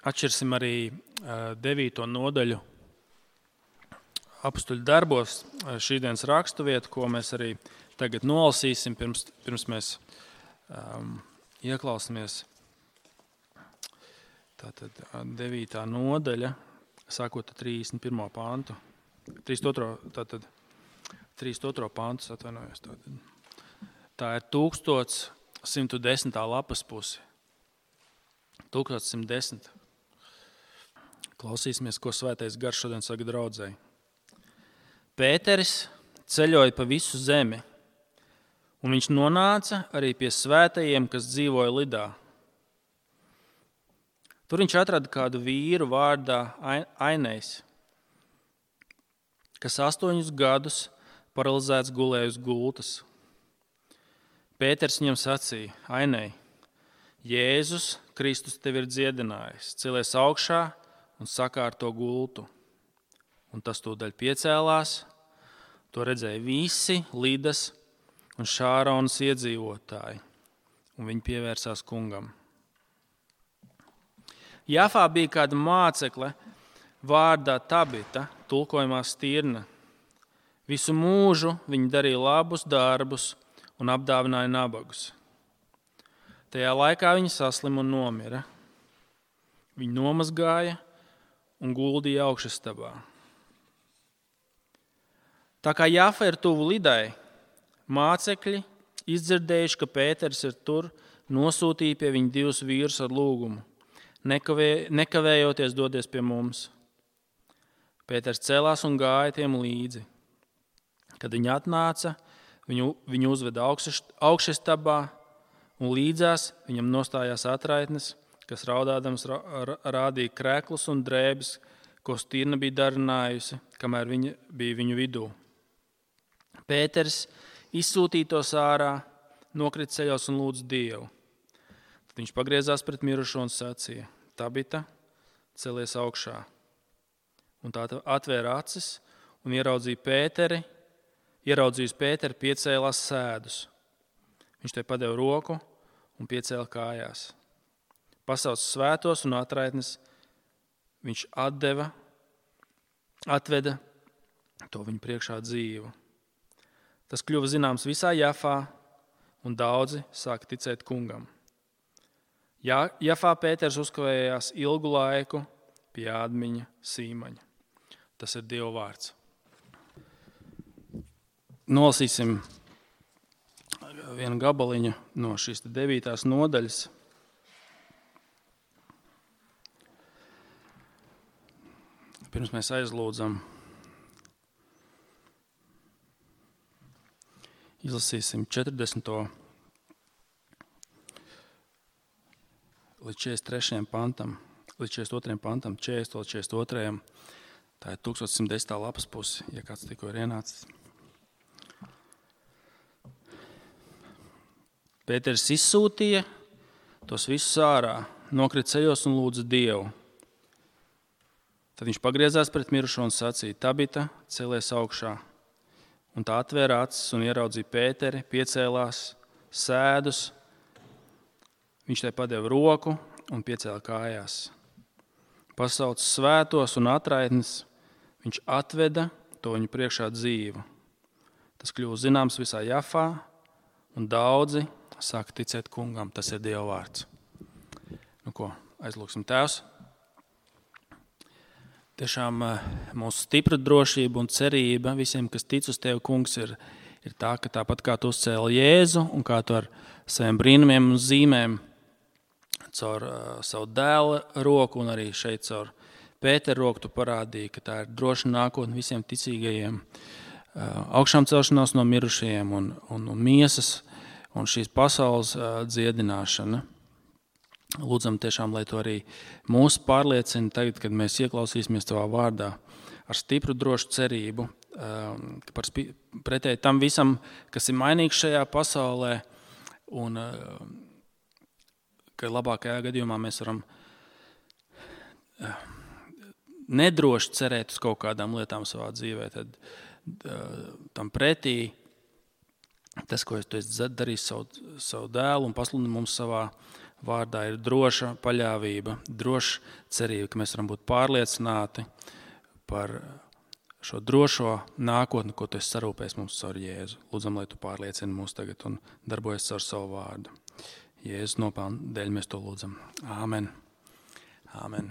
Atšķirsim arī 9. nodaļu Apstuļu darbos, šīdienas raksturvietu, ko mēs arī tagad nolasīsim, pirms mēs ieklausāmies. Tātad 9. nodaļa, sākot ar 31. pantu. 32. pantus, atvainojos. Tā ir 1110. lapas pusi. 1110. Klausīsimies, ko Svētais Gars šodien saka draudzei. Pēteris ceļoja pa visu zemi, un viņš nonāca arī pie svētajiem, kas dzīvoja Lidā. Tur viņš atrada kādu vīru vārdā Ainējs, kas 8 gadus paralizēts gulēja uz gultas. Pēters viņam sacīja: Ainēj, Jēzus Kristus tevi ir dziedinājis, celies augšā un sakārto gultu. Un tas tūdaļ piecēlās, to redzēja visi Lidas un Šāronas iedzīvotāji, un viņi pievērsās kungam. Jafā bija kāda mācekle vārdā Tabita, tulkojumā Stirna. Visu mūžu viņa darīja labus darbus un apdāvināja nabagus. Tajā laikā viņa saslima un nomira. Viņa nomazgāja un guldīja augšastabā. Tā kā Jafa ir tuvu Lidai, mācekļi, izdzirdējuši, ka Pēters ir tur, nosūtīja pie viņa 2 vīrus ar lūgumu: nekavējoties dodies pie mums. Pēters celās un gāja tiem līdzi. Kad viņi atnāca, viņu uzveda augšastabā, un līdzās viņam nostājās atraitnes, kas raudādams rādīja kreklus un drēbes, ko Stirna bija darinājusi, kamēr viņa bija viņu vidū. Pēters izsūtīja tos ārā, nokrita ceļos un lūdza Dievu. Tad viņš pagriezās pret mirušo un sacīja: Tabita, celies augšā. Un tā atvēra acis un ieraudzījis Pēteri, piecēlās sēdus. Viņš tai padeva roku un piecēla kājās. Pasauca svētos un atraitnes, viņš atveda to viņu priekšā dzīvu. Tas kļuva zināms visā Jafā, un daudzi sāka ticēt kungam. Jafā Pēters uzkavējās ilgu laiku pie ādmiņa Sīmaņa. Tas ir Dieva vārds. Nolasīsim vienu gabaliņu no šīs 9. nodaļas. Pirms mēs aizlūdzam, izlasīsim 40. līdz 43. pantam, līdz 42. pantam, 40. līdz 42. Tā ir 1110. lapas pusi, ja kāds tikko ir ienācis. Pēters izsūtīja tos visus ārā, nokrita ceļos un lūdza Dievu. Tad viņš pagriezās pret mirušo un sacīja: Tabita, celies augšā. Un tā atvēra acis un ieraudzīja Pēteri, piecēlās sēdus. Viņš tai padeva roku un piecēla kājās. Pasauca svētos un atraitnes, viņš atveda to viņu priekšā dzīvu. Tas kļuva zināms visā Jafā, un daudzi sāka ticēt kungam. Tas ir Dieva vārds. Nu ko, aizlūksim. Tēvs, tiešām mūsu stipra drošība un cerība visiem, kas tic uz Tevi, kungs, ir tā, ka tāpat kā Tu uzcēli Jēzu un kā Tu ar saviem brīnumiem un zīmēm caur savu dēla roku un arī šeit caur Pētera roku Tu parādīji, ka tā ir droša nākotne visiem ticīgajiem, augšām celšanās no mirušajiem un miesas un šīs pasaules dziedināšana. Lūdzam tiešām, lai to arī mūs pārliecina tagad, kad mēs ieklausīsimies Tavā vārdā ar stipru drošu cerību, pretēji tam visam, kas ir mainīgs šajā pasaulē, un ka labākajā gadījumā mēs varam nedroši cerēt uz kaut kādām lietām savā dzīvē, tad tam pretī tas, ko Tu esi darījis savu dēlu un pasludini mums savā vārdā ir droša paļāvība, droša cerība, ka mēs varam būt pārliecināti par šo drošo nākotni, ko tu esi sarūpējis mums caur Jēzu. Lūdzam, lai tu pārliecini mūs tagad un darbojies caur savu vārdu. Jēzus nopelna dēļ mēs to lūdzam. Āmen. Āmen.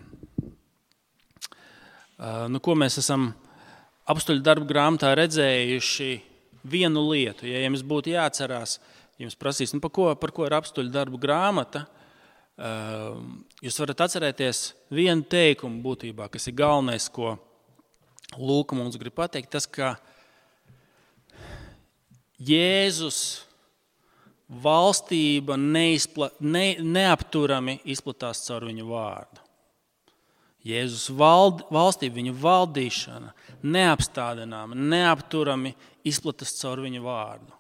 Ko mēs esam apstuļu darbu grāmatā redzējuši vienu lietu. Ja jums būtu jāatcerās, jums prasīs, par ko ir apstuļu darbu grāmata, jūs varat atcerēties vienu teikumu būtībā, kas ir galvenais, ko Lūka mums grib pateikt, tas, ka Jēzus valstība neapturami izplatās caur viņu vārdu. Jēzus valstība, viņa valdīšana neapstādināma, neapturami izplatās caur viņu vārdu.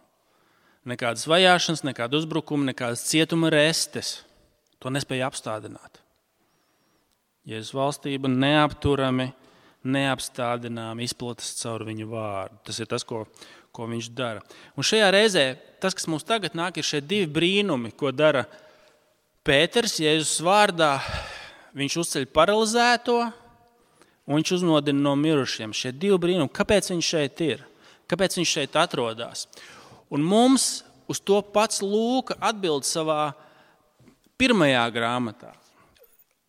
Nekādas vajāšanas, nekāda uzbrukuma, nekādas cietuma restes to nespēja apstādināt. Jēzus valstība neapturami, neapstādināmi izplatās caur viņu vārdu. Tas ir tas, ko viņš dara. Un šajā reizē tas, kas mums tagad nāk, ir šie divi brīnumi, ko dara Pēters Jēzus vārdā. Viņš uzceļ paralizēto un viņš uzmodina no mirušiem. Šie divi brīnumi. Kāpēc viņš šeit ir? Kāpēc viņš šeit atrodas? Un mums uz to pats Lūka atbild savā pirmajā grāmatā.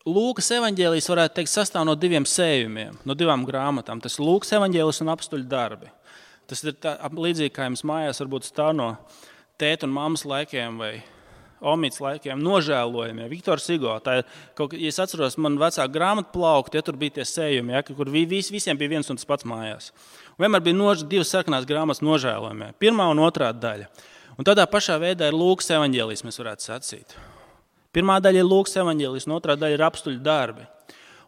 Lūkas evaņģēlijs, varētu teikt, sastāv no diviem sējumiem, no divām grāmatām. Tas ir Lūkas evaņģēlijs un apstuļu darbi. Tas ir līdzīgi, kā jums mājās varbūt stāv no tēta un mammas laikiem vai omītas laikiem nožēlojumie. Viktors Hugo, tā ir, ja es atceros, man vecā grāmatu plaukti, ja tur bija tie sējumi, kur visiem bija viens un tas pats mājās. Un vienmēr bija divas sarkanās grāmatas nožēlojumie, pirmā un otrā daļa. Un tādā pašā veidā ir Lūkas evaņģēlijs, mēs varētu sacīt. Pirmā daļa ir Lūkas evaņģēlijs, un otrā daļa ir apstuļu darbi.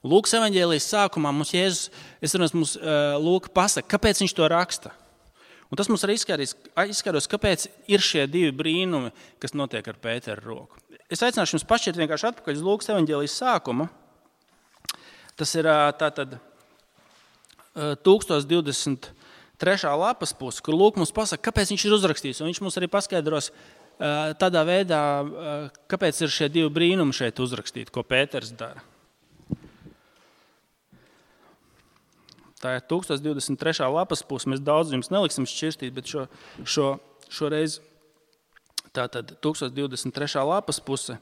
Lūkas evaņģēlijs sākumā mums Jēzus, Lūka pasaka, kāpēc viņš to raksta. Un tas mums arī izskaidros, kāpēc ir šie divi brīnumi, kas notiek ar Pētera roku. Es aicināšu jums pašķirt vienkārši atpakaļ uz Lūkas evaņģēlijas sākumu. Tas ir tātad 1023. lapas puse, kur Lūka mums pasaka, kāpēc viņš ir uzrakstījis. Un viņš mums arī paskaidros tādā veidā, kāpēc ir šie divi brīnumi šeit uzrakstīti, ko Pēters dara. Tā ir 1023. lapas puse. Mēs daudz jums neliksim šķirstīt, bet šoreiz tātad 1023. lapas puse.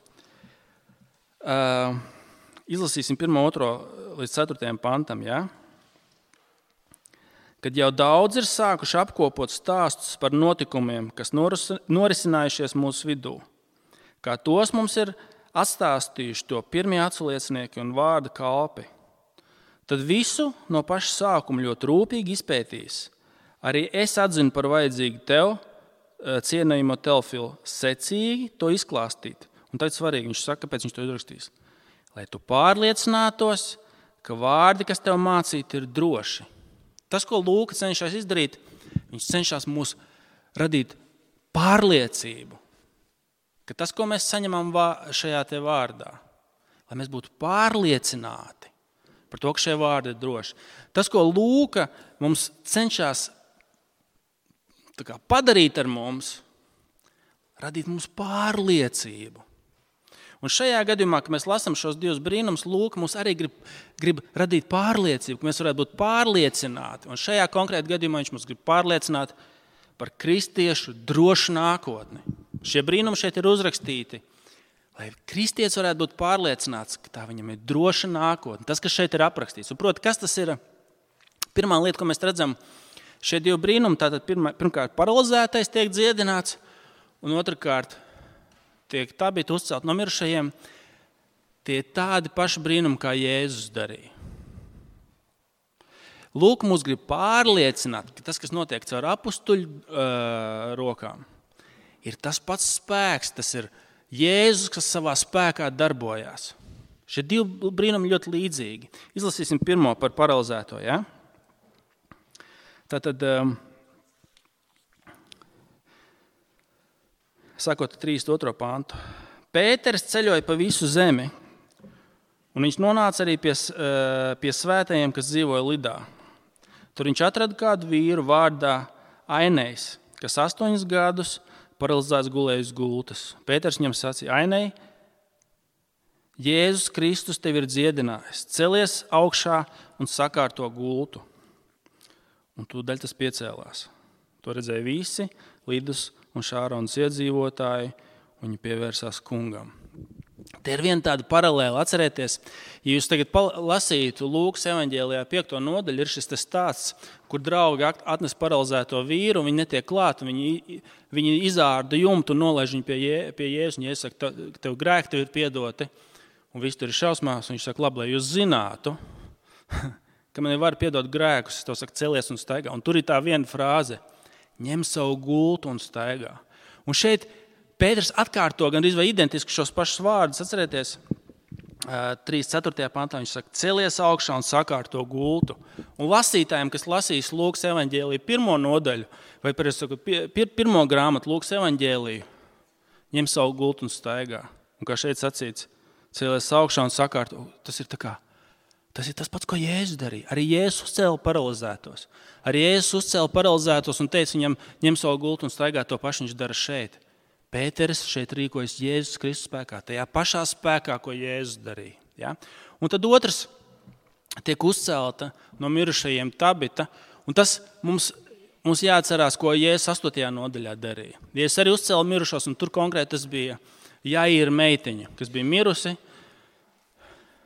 Izlasīsim 1, 2 līdz 4 pantam. Ja? Kad jau daudz ir sākuši apkopot stāstus par notikumiem, kas norisinājušies mūsu vidū, kā tos mums ir atstāstījuši to pirmie aculiecinieki un vārda kalpi, tad visu no paša sākuma ļoti rūpīgi izpētījis. Arī es atzinu par vajadzīgu tev, cienījamo Teofilu, secīgi to izklāstīt. Un tad svarīgi, viņš saka, kāpēc viņš to izrakstīs. Lai tu pārliecinātos, ka vārdi, kas tev mācīti, ir droši. Tas, ko Lūka cenšas izdarīt, viņš cenšas mūs radīt pārliecību, ka tas, ko mēs saņemam šajā te vārdā, lai mēs būtu pārliecināti par to, ka šie vārdi ir droši. Tas, ko Lūka mums cenšas padarīt ar mums, radīt mums pārliecību. Un šajā gadījumā, kad mēs lasām šos divus brīnumus, Lūka mums arī grib radīt pārliecību, ka mēs varētu būt pārliecināti. Un šajā konkrētā gadījumā viņš mums grib pārliecināt par kristiešu drošu nākotni. Šie brīnumi šeit ir uzrakstīti, lai kristietis varētu būt pārliecināts, ka tā viņam ir droša nākotne. Tas, kas šeit ir aprakstīts. Un, proti, kas tas ir? Pirmā lieta, ko mēs redzam, šie divi brīnumi, tātad pirmkārt paralizētais tiek dziedināts, un otrkārt tiek tabīti uzcelt no mirušajiem. Tie ir tādi paši brīnumi, kā Jēzus darīja. Lūk, mūs grib pārliecināt, ka tas, kas notiek caur apustuļu rokām, ir tas pats spēks, tas ir Jēzus, kas savā spēkā darbojās. Šie divi brīnumi ļoti līdzīgi. Izlasīsim pirmo par paralizēto. Ja? Tātad, sakot 32. pantu. Pēters ceļoja pa visu zemi, un viņš nonāca arī pie svētajiem, kas dzīvoja Lidā. Tur viņš atrada kādu vīru vārdā Ainejs, kas 8 gadus paralizēts gulēja uz gultas. Pēters viņam sacīja, Ainei, Jēzus Kristus tevi ir dziedinājis. Celies augšā un sakārto gultu. Un tūdaļ tas piecēlās. To redzēja visi Lidus un Šāronas iedzīvotāji, un viņi pievērsās kungam. Te ir viena tāda paralēla. Atcerieties, ja jūs tagad lasītu Lūkas evaņģēlijā 5. nodaļu, ir šis stāsts, kur draugi atnes paralizēto vīru, un viņi netiek klāt, viņi izārda jumtu un nolaiž viņu pie Jēzus, un Jēzus saka, tev grēki tev ir piedoti, un viss tur ir šausmās, un viņš saka, labi, lai jūs zinātu, ka man var piedot grēkus, es tev saku, celies un staigā. Un tur ir tā viena frāze, ņem savu gultu un staigā. Un šeit Pēters atkārto gandrīz vai identiski šos pašus vārdus. Atcerieties, 3.4. pantā viņš saka, celies augšā un sakārto gultu. Un lasītājiem, kas lasīs Lūkas evaņģēliju 1. nodaļu, vai pirmo grāmatu Lūkas evaņģēliju, ņem savu gultu un staigā. Un kā šeit sacīts, celies augšā un sakārto. Tas ir tas pats, ko Jēzus darīja. Arī Jēzus uzcēla paralizētos. Arī Jēzus uzcēla paralizētos un teica viņam, ņem savu gultu un staigā, to pašu viņš dara šeit. Pēteris šeit rīkojas Jēzus Kristus spēkā, tajā pašā spēkā, ko Jēzus darīja. Ja? Un tad otrs tiek uzcelta no mirušajiem Tabita, un tas mums jāatcerās, ko Jēzus 8. nodaļā darīja. Jēzus arī uzcēla mirušos, un tur konkrēti tas bija Jaīra meitiņa, kas bija mirusi.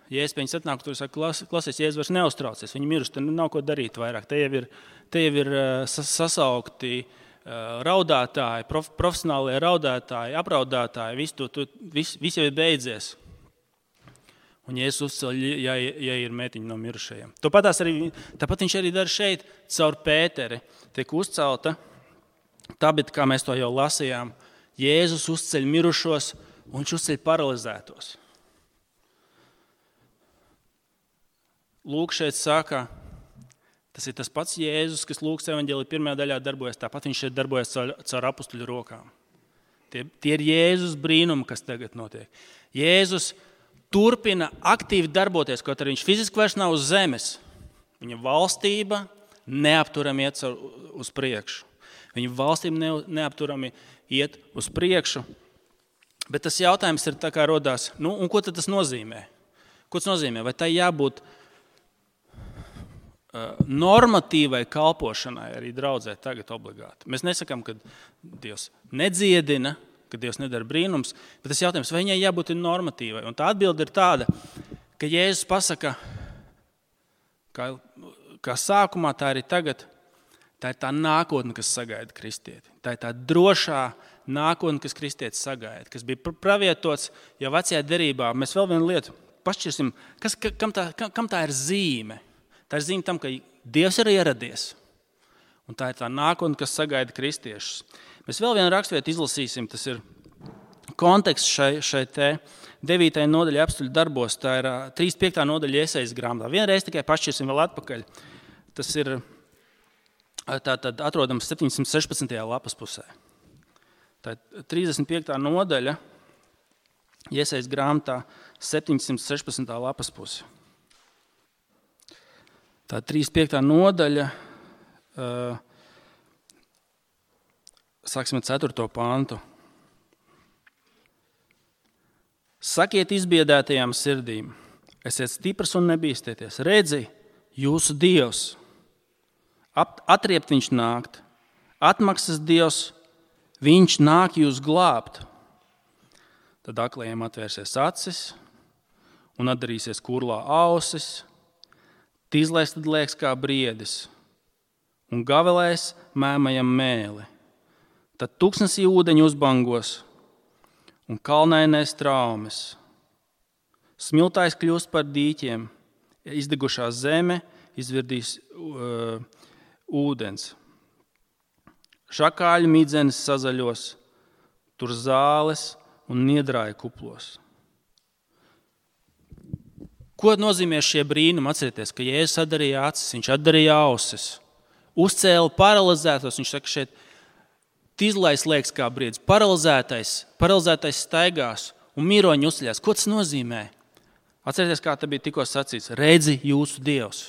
Jēzus pie viņas atnāk, tur saka, klausies, Jēzus vairs neuztraucies, viņa mirusi, te nav ko darīt vairāk. Te jau ir sasaukti raudātāji, profesionālie raudātāji, apraudātāji, viss jau ir beidzies. Un Jēzus uzceļ, ja ir meitiņa no mirušajiem. Tāpat viņš arī dara šeit, caur Pēteri. Tiek uzcelta, tāpēc, kā mēs to jau lasījām, Jēzus uzceļ mirušos un viņš uzceļ paralizētos. Lūk, šeit saka, tas ir tas pats Jēzus, kas Lūkas evaņģēlija 1. daļā darbojas, tāpat viņš šeit darbojas caur apustuļu rokām. Tie ir Jēzus brīnumi, kas tagad notiek. Jēzus turpina aktīvi darboties, kaut arī viņš fiziski vairs nav uz zemes. Viņa valstība neapturami iet uz priekšu. Viņa valstība neapturami iet uz priekšu. Bet tas jautājums ir tā kā rodās, un ko tad tas nozīmē? Ko tas nozīmē? Vai tai jābūt normatīvai kalpošanai arī draudzē tagad obligāti? Mēs nesakām, ka Dievs nedziedina, ka Dievs nedara brīnums, bet tas jautājums, vai viņai jābūt normatīvai? Un tā atbilde ir tāda, ka Jēzus pasaka, kā sākumā, tā arī tagad, tā ir tā nākotne, kas sagaida kristieti. Tā ir tā drošā nākotne, kas kristieti sagaida, kas bija pravietots jau vecajā derībā. Mēs vēl vienu lietu pašķirsim, kam tā ir zīme? Tā ir zīme tam, ka Dievs ir ieradies. Un tā ir tā nākotne, kas sagaida kristiešus. Mēs vēl vienu raksturvietu izlasīsim, tas ir konteksts šai 9. nodaļa apstuļu darbos, tā ir 35. nodaļa Jesajas grāmatā. Vienreiz tikai pašķirsim vēl atpakaļ. Tas ir tātad atrodams 716. lapas pusē. Tā ir 35. nodaļa Jesajas grāmatā 716. lapas pusē. Tā 35. nodaļa, sāksim ar 4. pantu. Sakiet izbiedētajām sirdīm, esiet stiprs un nebīstieties. Redzi, jūsu Dievs, atriept viņš nākt, atmaksas Dievs, viņš nāk jūs glābt. Tad aklajiem atvērsies acis un atdarīsies kurlā ausis, tīzlais tad liekas kā briedis, un gavelēs mēmajam mēli. Tad tūkstnesī ūdeņi uzbangos, un kalnainais traumes. Smiltājs kļūst par dīķiem, izdegušā zeme izvirdīs ūdens. Šakāļu midzenes sazaļos, tur zāles un niedrāja kuplos. Ko nozīmē šie brīnumi? Atcerieties, ka Jēzus atdarīja acis, viņš atdarīja ausis, uzcēla paralizētos, viņš saka šeit, tīzlais liekas kā briedis, paralizētais staigās un miroņi uzceļās. Ko tas nozīmē? Atcerieties, kā te bija tikko sacīts, redzi jūsu Dievs.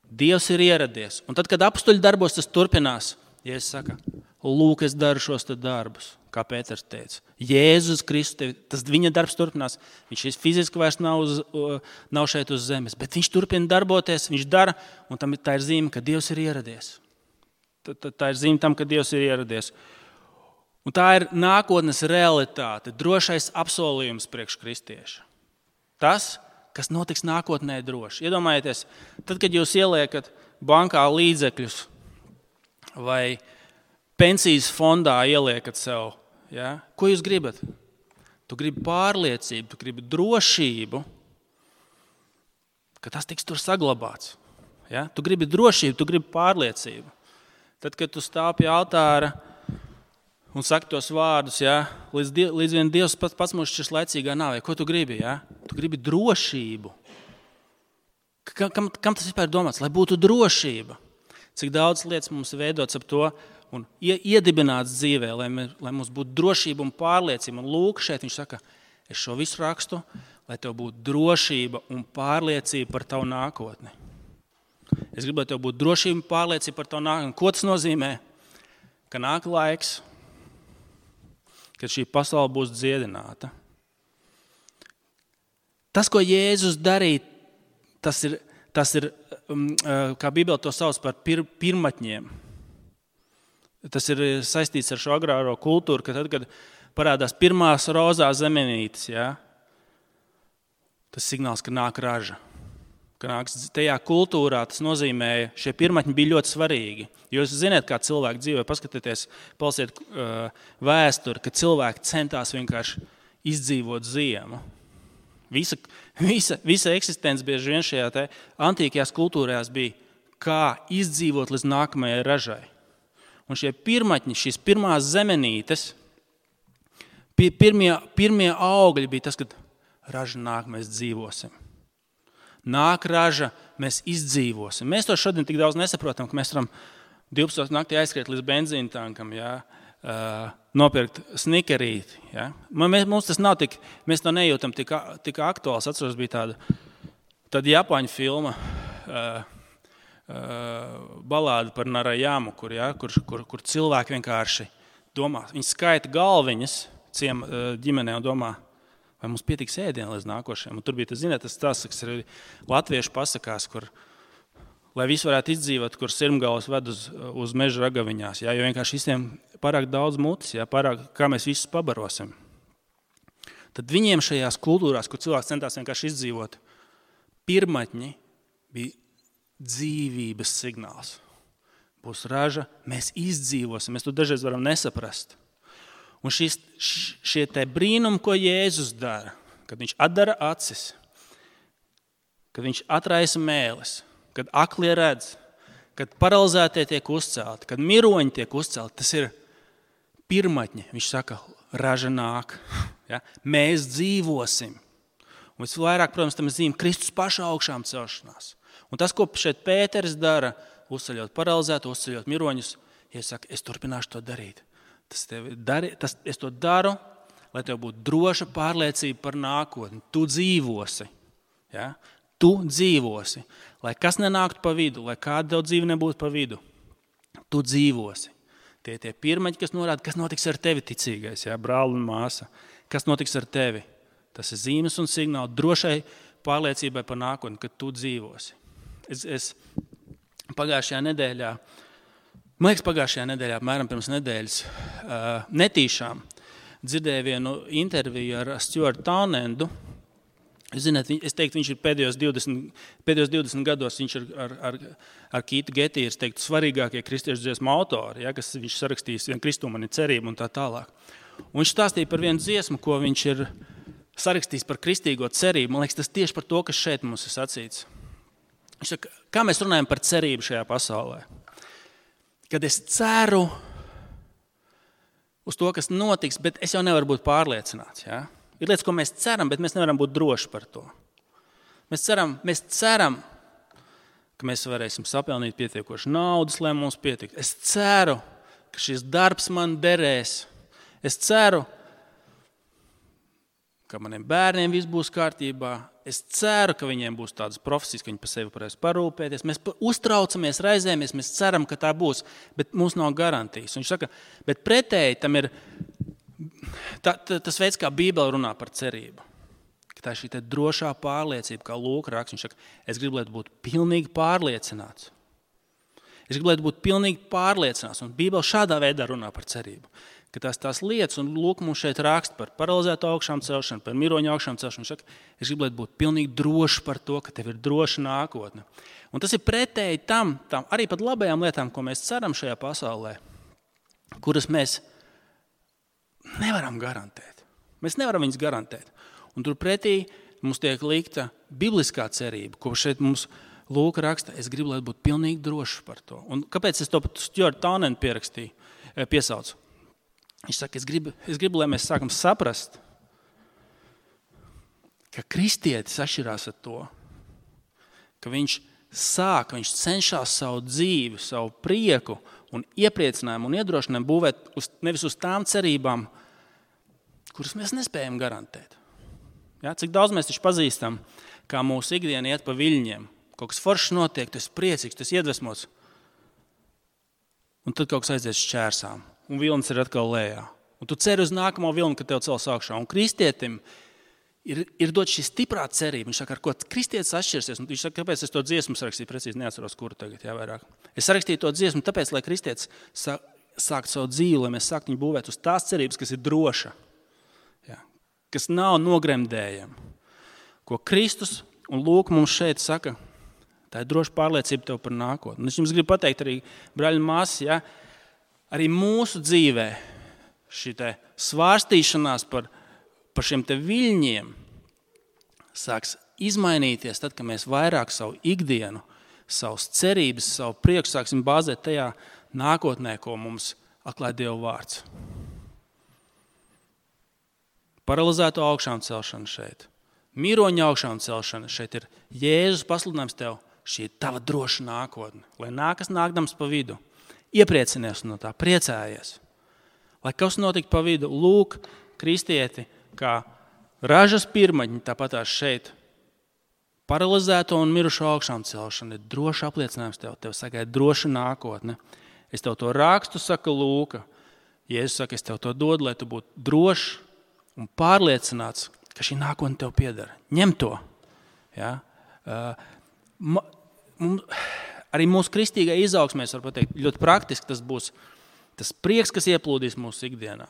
Dievs ir ieradies. Un tad, kad apstuļu darbos tas turpinās, Jēzus saka, lūk, es daru šos te darbus. kā Pēters teica. Jēzus Kristus, tas viņa darbs turpinās. Viņš fiziski vairs nav šeit uz zemes, bet viņš turpina darboties, viņš dara, un tā ir zīme, ka Dievs ir ieradies. Tā ir zīme tam, ka Dievs ir ieradies. Un tā ir nākotnes realitāte, drošais apsolījums priekš kristieša. Tas, kas notiks nākotnē droši. Iedomājieties, tad, kad jūs ieliekat bankā līdzekļus vai pensijas fondā ieliekat sev, ja? Ko jūs gribat? Tu gribi pārliecību, tu gribi drošību, ka tas tiks tur saglabāts. Ja? Tu gribi drošību, tu gribi pārliecību. Tad, kad tu stāv pie altāra un saki tos vārdus, ja? līdz vien Dievs pats mūs šķirs laicīgā nāvē, ko tu gribi? Ja? Tu gribi drošību. Kam tas vispār domāts? Lai būtu drošība. Cik daudz lietas mums veidots ap to un iedibināts dzīvē, lai mums būtu drošība un pārliecība. Un lūk, šeit viņš saka, es šo visu rakstu, lai tev būtu drošība un pārliecība par tavu nākotni. Es gribu, lai tev būtu drošība un pārliecība par tavu nākotni. Ko tas nozīmē? Ka nāk laiks, kad šī pasaule būs dziedināta. Tas, ko Jēzus darīja, tas ir, kā Bībele to sauc par pirmatņiem. Tas ir saistīts ar šo agrāro kultūru, ka tad, kad parādās pirmās rozās zemenītes, ja, tas signāls, ka nāk raža. Ka nāks tajā kultūrā, tas nozīmēja, šie pirmatņi bija ļoti svarīgi. Jo jūs zināt, kā cilvēki dzīvē, paskatieties, palasiet vēsturi, ka cilvēki centās vienkārši izdzīvot ziemu. Visa eksistence bieži vien šajā antīkajās kultūrās bija, kā izdzīvot līdz nākamajai ražai. Un šie pirmatņi, šīs pirmās zemenītes, pirmie augļi bija tas, kad raža nāk, mēs dzīvosim. Nāk raža, mēs izdzīvosim. Mēs to šodien tik daudz nesaprotam, ka mēs varam 12 naktī aizskriet līdz benzīna tankam, ja, nopirkt snikerīti. Ja. Mums tas nav tik, mēs to nejūtam tik aktuāls. Atceros, bija tāda Japāņu filma, balāda par Narajamu, kur cilvēki vienkārši domā. Viņi skaita galviņas ģimenē un domā, vai mums pietiks ēdienu līdz nākošajam. Un tur bija tas stāsts, kas ir latviešu pasakās, kur, lai visi varētu izdzīvot, kur sirmgalvas ved uz meža ragaviņās. Ja, jo vienkārši visiem pārāk daudz mutes, ja, pārāk, kā mēs visus pabarosim. Tad viņiem šajās kultūrās, kur cilvēks centās vienkārši izdzīvot, pirmatņi bija dzīvības signāls. Būs raža, mēs izdzīvosim, mēs to dažreiz varam nesaprast. Un šie te brīnumi, ko Jēzus dara, kad viņš atdara acis, kad viņš atraisa mēles, kad aklie redz, kad paralizētie tiek uzcelti, kad miroņi tiek uzcelti, tas ir pirmatņi. Viņš saka, raža nāk, ja? Mēs dzīvosim. Un visvairāk, protams, tam zīme Kristus paša augšām celšanās. Un tas, ko šeit Pēteris dara, uzceļot paralizētu, uzceļot miroņus, ja saka, es turpināšu to darīt. Es to daru, lai tev būtu droša pārliecība par nākotni. Tu dzīvosi. Ja? Tu dzīvosi. Lai kas nenāktu pa vidu, lai kāda tev dzīve nebūtu pa vidu. Tu dzīvosi. Tie pirmaņi, kas norāda, kas notiks ar tevi ticīgais, ja? Brāli un māsa. Kas notiks ar tevi? Tas ir zīmes un signāli drošai pārliecībai par nākotni, ka tu dzīvosi. Es pagājušajā nedēļā, apmēram pirms nedēļas, netīšām dzirdēju vienu interviju ar Stuartu Townendu. Zināt, es teiktu, viņš ir pēdējos 20 gados, viņš ir ar Kītu Getī, es teiktu, svarīgākie kristiešu dziesmu autori, ja, kas viņš sarakstījis, vien Kristū man ir cerība un tā tālāk. Un viņš stāstīja par vienu dziesmu, ko viņš ir sarakstījis par kristīgo cerību. Man liekas, tas tieši par to, kas šeit mums ir sacīts. Viņš saka, kā mēs runājam par cerību šajā pasaulē? Kad es ceru uz to, kas notiks, bet es jau nevaru būt pārliecināts. Ja? Ir lietas, ko mēs ceram, bet mēs nevaram būt droši par to. Mēs ceram, ka mēs varēsim sapelnīt pietiekoši naudas, lai mums pietiek. Es ceru, ka šis darbs man derēs. Es ceru, ka maniem bērniem viss būs kārtībā. Es ceru, ka viņiem būs tādas profesijas, ka viņi par sevi varēs parūpēties. Mēs uztraucamies, raizējamies, mēs ceram, ka tā būs, bet mums nav garantijas. Un viņš saka, bet pretēji tam ir tas veids, kā Bībele runā par cerību, ka tā ir šī drošā pārliecība, kā Lūka raksta. Viņš saka, es gribu, lai tu būtu pilnīgi pārliecināts. Es gribu, lai tu būtu pilnīgi pārliecināts. Un Bībele šādā veidā runā par cerību. Ka tās lietas, un Lūk mums šeit raksta par paralizēto augšām celšanu, par miroņu augšām celšanu. Viņš saka, es gribu, lai tu būtu pilnīgi drošs par to, ka tev ir droša nākotne. Un tas ir pretēji tam arī pat labajām lietām, ko mēs ceram šajā pasaulē, kuras mēs nevaram garantēt. Mēs nevaram viņas garantēt. Un turpretī mums tiek likta bibliskā cerība, ko šeit mums Lūka raksta, es gribu, lai būtu pilnīgi drošs par to. Un kāpēc es to pat Stuart Taunenu piesaucu? Viņš saka, es gribu, lai mēs sākam saprast, ka kristietis atšķirās ar to, ka viņš cenšas savu dzīvi, savu prieku un iepriecinājumu un iedrošinājumu būvēt nevis uz tām cerībām, kuras mēs nespējam garantēt. Ja? Cik daudz mēs taču pazīstam, kā mūsu ikdiena iet pa viļņiem. Kaut kas foršs notiek, tu esi priecīgs, tu esi iedvesmots. Un tad kaut kas aizies šķērsām, un vilnis ir atkal lejā. Un tu ceri uz nākamo vilni, kad tev cels augšā. Un kristietim ir dot šī stiprā cerība. Viņš saka, ar ko kristietis atšķirsies. Un viņš saka, kāpēc es to dziesmu sarakstīju, precīzi neatceros, kuru tagad vairāk. Es sarakstīju to dziesmu tāpēc, lai kristietis sāktu savu dzīvi, lai mēs sāktu viņu būvēt uz tās cerības, kas ir droša, kas nav nogremdējama. Ko Kristus un Lūk mums šeit saka, tā ir droša pārliecība tev par nākotni. Es jums gribu pateikt arī, brāļi un māsas, arī mūsu dzīvē šī svārstīšanās par šiem viļņiem sāks izmainīties tad, kad mēs vairāk savu ikdienu, savas cerības, savu prieku sāksim bāzēt tajā nākotnē, ko mums atklāja Dieva vārds. Paralizēto augšām celšana šeit, miroņa augšām celšana šeit ir Jēzus pasludinājums tev. Šī ir tava droša nākotne. Lai nākas nākdams pa vidu, iepriecinies no tā, priecājies. Lai kas notiktu pa vidu, Lūk, kristieti, kā ražas pirmaņi, tāpatās šeit, paralizēto un mirušo augšām celšana ir droša apliecinājums tev sagaida droša nākotne. Es tev to rakstu, saka Lūka. Jēzus saka, es tev to dodu, lai tu būtu drošs un pārliecināts, ka šī nākotne tev pieder. Ņem to. Ja? Arī mūsu kristīgai izaugsmē, es varu pateikt, ļoti praktiski tas būs tas prieks, kas ieplūdīs mūsu ikdienā.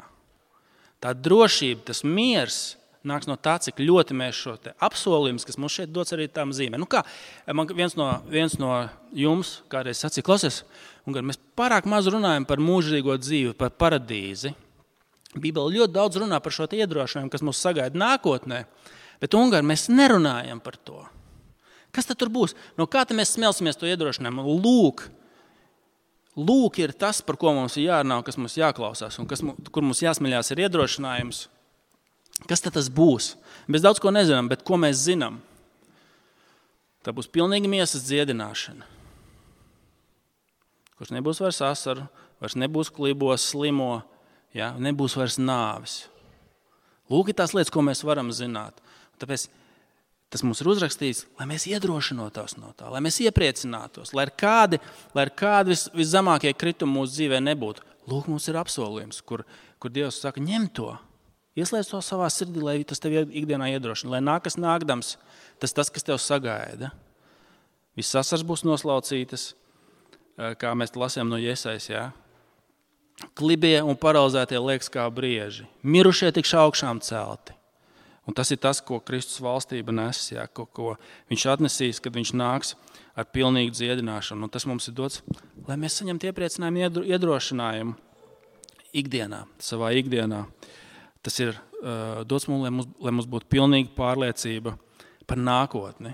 Tā drošība, tas miers nāks no tā, cik ļoti mēs šo apsolījumus, kas mums šeit dots arī tām zīmēm. Man viens no jums kādreiz sacīja, klausies, un mēs pārāk maz runājam par mūžīgo dzīvi, par paradīzi. Bībele ļoti daudz runā par šo iedrošinājumu, kas mūs sagaida nākotnē, bet mēs nerunājam par to. Kas tad tur būs? No kā tad mēs smelsimies to iedrošinājumu? Lūk ir tas, par ko mums ir jārunā, kas mums jāklausās un kur mums jāsmeļās ir iedrošinājums. Kas tad tas būs? Mēs daudz ko nezinām, bet ko mēs zinām? Tā būs pilnīga miesas dziedināšana. Kurš nebūs vairs asaru, vairs nebūs klibos, slimo, nebūs vairs nāvis. Lūk ir tās lietas, ko mēs varam zināt. Tāpēc tas mums ir uzrakstīts, lai mēs iedrošinotos no tā, lai mēs iepriecinātos, lai ir kādi viszemākie kritumi mūsu dzīvē nebūtu. Lūk, mums ir apsolījums, kur Dievs saka, ņem to, ieslēdz to savā sirdī, lai tas tev ikdienā iedrošina, lai nākas nākdams, tas, kas tev sagaida. Viss asars būs noslaucītas, kā mēs lasījām no Jesajas, Klibie un paralizētie liekas kā brieži, mirušie tikš augšām celti. Un tas ir tas, ko Kristus valstība nes, ko viņš atnesīs, kad viņš nāks ar pilnīgu dziedināšanu. Un tas mums ir dots, lai mēs saņemtu iepriecinājumu, iedrošinājumu ikdienā, savā ikdienā. Tas ir dots mums, lai mums būtu pilnīga pārliecība par nākotni.